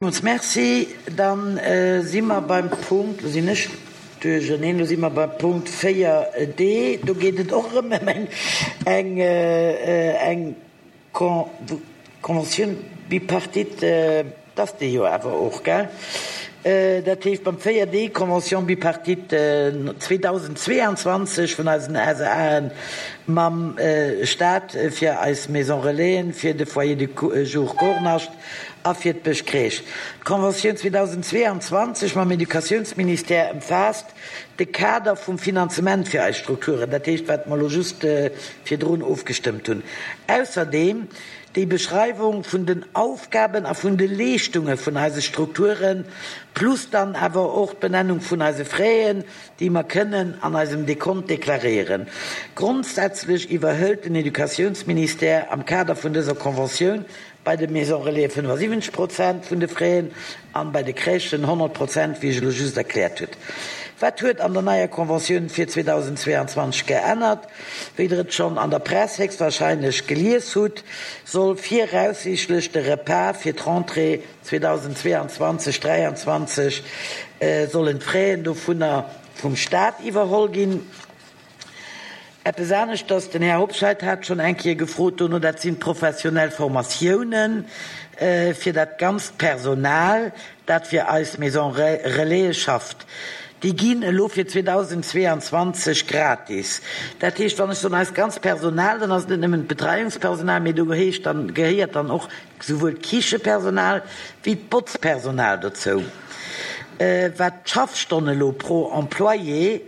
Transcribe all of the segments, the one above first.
Villmools Merci. Dann si mer beim Punkt, lo sinn ech duercherneen, lo si mer beim Punkt 4d. Do geet et och erëm ëm eng, eng Convention bipartite. Dat ass déi jo awer och, gell? Dat heescht beim 4d, Convention bipartite 2022 vun eisen SAen mam Stat fir eis Maison Relaisen, fir de Foyer de jour Kornascht, a fir d'Bëschcrèche. D'Conventioun 2022 mam Educatiounsministère ëmfaasst de Kader vum Finanzement fir eis Strukturen, dat heescht wat mer elo just virdrun ofgestëmmt hunn. Ausserdeem déi Beschreiwung vun den Aufgaben a vun de Leeschtunge vun eise Strukturen, plus dann awer och d'Benennung vun eise Fräen, déi mer kënnen an eisem Dekont deklaréieren. Grondsätzlech iwwerhëlt den Educatiounsministère am Kader vun dëser Conventioun Bei de Maisons Relais 75 Prozent vun de Fräen an bei de Crèchen 100 Prozent, wéi ech elo just erkläert hutt. Wat huet an der neier Conventioun fir 2022 geännert? Wéi der et schonn an der Press héchstwahrscheinlech gelies hutt, soll viraussiichtlech de Repas fir d'Rentrée 2022, 23 sollen d'Fraien dovunner vum Staat iwwerholl ginn. Eppes aneschters, den Här Hobscheit hat schonn eng Kéier gefrot dono, dat sinn d'professionell Formatiounen fir dat ganzt Personal, dat fir eis Maison Relaise schafft. Déi ginn elo fir 2022 gratis. Dat heescht, wann ech soen eist ganzt Personal, dann ass et net nëmmen d'Betreiungspersonal, mee do heescht dann, gehéiert dann och souwuel d'Kichepersonal wéi d'Botzpersonal dozou. Wat d'Schaffstonne elo pro Employé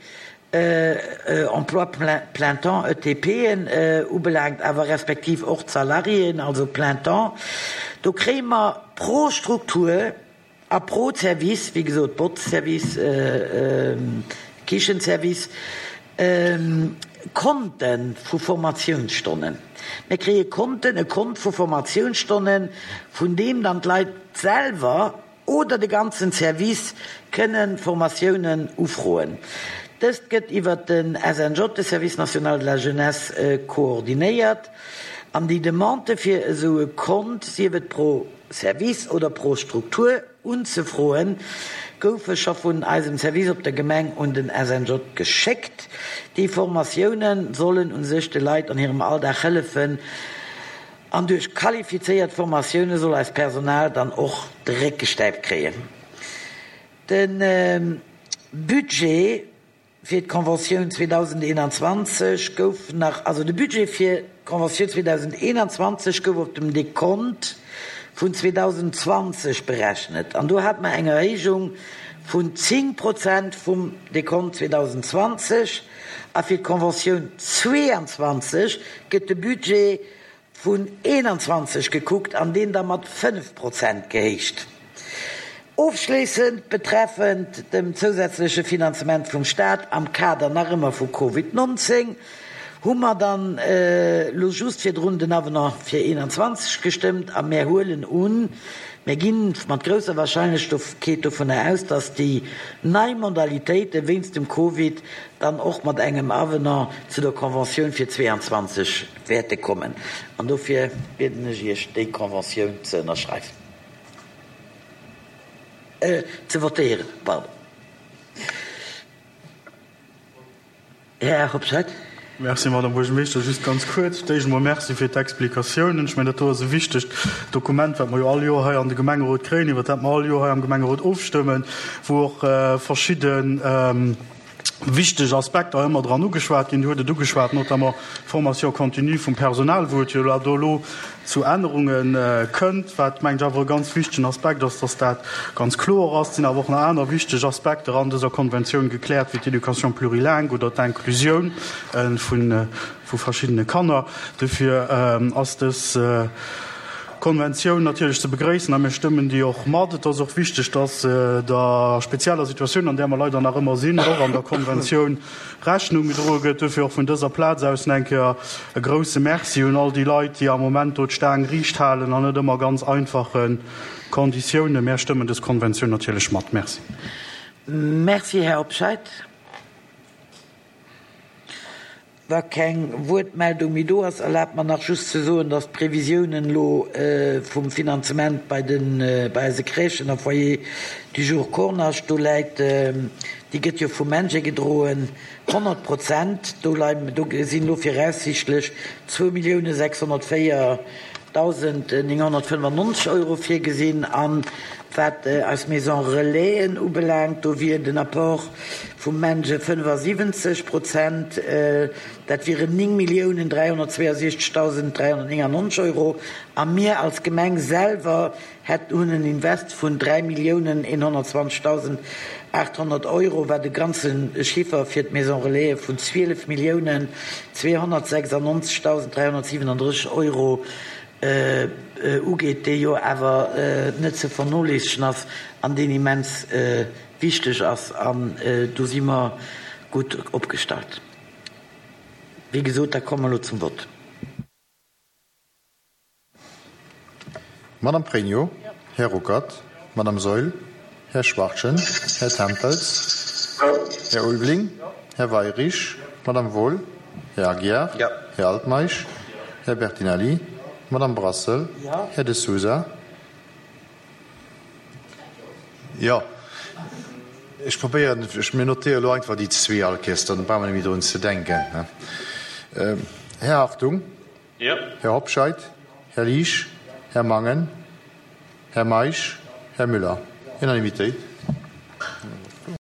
Emploi plein temps, ETPen, ubelaangt, awer respektiv och d'Salariéen, also plein temps, do kréie mer pro Struktur a pro Service, wéi gesot Botzservice, Kichenservice, Konte vu Formatiounsstonnen. Mir kréie Konten, e Kont vu Formatiounsstonnen, vun deem dann d'Leit selwer, oder de ganzen Service kënnen Formatiounen ufroen. Dëst gëtt iwwert den SNJ, de Service national de la jeunesse, koordinéiert an déi Demande fir esou e Kont, sief et pro Service oder pro Struktur, unzefroen, goufe scho vun eisem Service op der Gemeng un den SNJ geschéckt. Déi Formatiounen sollen u sech de Leit an hirem Alldag hëllefen, An duerch qualifizéiert Formatioune soll eist Personal dann och de Réck gestäipt kréien. De Budget fir d'Conventioun 2021 gouf nach, also de Budget fir d'Conventioun 2021 gouf op dem Dekont vun 2020 berechnet an do hate mer eng Erhéijung vun 10 Prozent vum Dekont 2020 a fir d'Conventioun 22 gëtt de Budget vun 21 gekuckt an deen da mat 5 Prozent gehéicht. Ofschléissend betreffend dem zousätzleche Finanzement vum Staat am Kader nach ëmmer vu Covid 19 hu mer dann elo just virdrun den Avenant fir 21 gestëmmt a mär huelen un, mär gi mat grousser Wahrscheinlechkeet dovunner aus, dass déi nei Modalitéite wéinst dem Covid dann och mat engem Avenant zu der Conventioun fir 22 wäerte kommen. An dofir bieden ech Iech, déi Conventioun ze ënnerschreiwen, ze votéieren, pardon. Här Hobscheit. Merci, Madame Buergermeeschter. Just ganz kuerz. Fir d'éischt emol Merci fir d'Explikatiounen. Ech mengen, dat do ass e wichtegt Dokument, wat mer jo all Joer hei an de Gemengerot kréien, iwwert dat mer all Joer hei am Gemengerot ofstëmmen, wou och verschidde wichteg Aspekter ëmmer dran ugeschwat ginn. Dir hutt et ugeschwat, notamment d'Formation continue vum Personal, wou et jo do elo zu Ännerunge kënnt, wat, mengen ech, awer e ganz wichtegen Aspekt ass, dass dat ganz kloer ass. Et sinn awer och nach aner wichteg Aspekter an dëser Konventioun gekläert, wéi d'Éducation plurilingue oder d'Inclusioun vu verschiddene Kanner. Dofir ass dës Konventioun natierlech ze begréissen a mir stëmmen déi och mat. Et ass och wichteg, dass der spezieller Situatioun, an där mer leider nach ëmmer sinn, och an der Konventioun Rechnung gedroe gëtt. Duerfir och vun dëser Plaz aus nach eng Kéier e grouse Merci un all déi Leit, déi am Moment do d'Staang riicht halen an net ëmmer ganz einfache Konditiounen. Mär stëmmen dës Konventioun natierlech mat. Merci. Merci, Här Hobscheit. Wa keng Wuertmeldung méi do ass, erlaabt mer nach just ze soen, dass d'Previsiounen elo vum Finanzement bei den, bei eise Crèchen a Foyers du jour Kornascht, do läit, déi gëtt jo vum MENJE gedroen, 100 Prozent. Do leien, do sinn elo viraussichtlech 2.604.995 Euro virgesinn. An wat eis Maisons Relaisen ubelaangt, do wier den Apport vum MENJE 75 Prozent, dat wieren 9.362.399 Euro. A mir als Gemeng selwer hätten, hunn en Invest vun 3.120.800 Euro, wat e ganze Chiffer fir d'Maison Relaisen vun 12.296.337 Euro ugeet, dee jo awer net ze vernoléissegen ass an deen immens wichteg ass. An do si mer gutt opgestallt. Wéi gesot, da komme mer elo zum Vott. Madame Pregno, Här Ruckert, Madame Saeul, Här Schwachtgen, Här Tempels, Här Ulveling, Här Weyrich, Madame Wohl, Här Aguiar, Här Altmeisch, Här Bertinelli, Madame Brassel, Här De Sousa. Jo, ech probéieren, ech, mir notéiere elo einfach déi zwee all Kéiers, dann brauche mer net méi drun ze denken. Här Hartung. Här Hobscheit, Här Liesch, Här Mangen, Här Meisch, Här Müller. Unanimitéit.